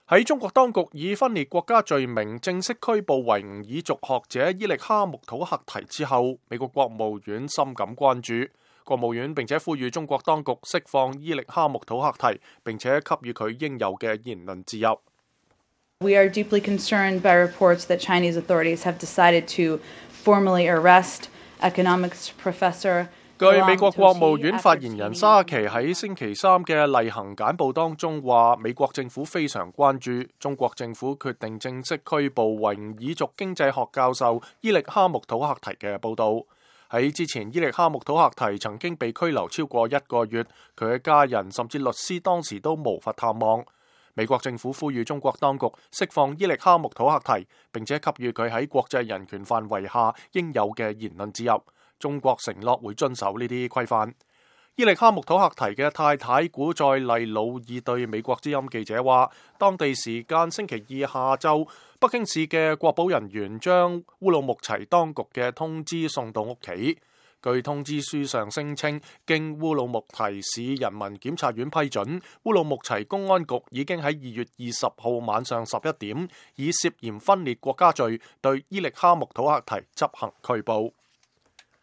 喺中國當局以分裂國家罪名正式拘捕維吾爾族學者伊力哈木土赫提之後，美國國務院深感關注。國務院並且呼籲中國當局釋放伊力哈木土赫提，並且給予佢應有嘅言論自由。We are deeply concerned by reports that Chinese authorities have decided to formally arrest economics professor。據美國國務院發言人沙奇喺星期三嘅例行簡報當中話，美國政府非常關注中國政府決定正式拘捕維吾爾族經濟學教授伊力哈木土赫提嘅報導。喺之前，伊力哈木土赫提曾經被拘留超過1個月，佢嘅家人甚至律師當時都無法探望。美國政府呼籲中國當局釋放伊力哈木土赫提，並且給予佢喺國際人權範圍下應有嘅言論自由。中國承諾會遵守呢啲規範。伊力哈木土赫提嘅太太古再麗魯爾對美國之音記者話，當地時間星期二下晝，北京市嘅國保人員將烏魯木齊當局嘅通知送到屋企。據通知書上聲稱，經烏魯木齊市人民檢察院批准，烏魯木齊公安局已經喺2月20號晚上11點，以涉嫌分裂國家罪對伊力哈木土赫提執行拘捕。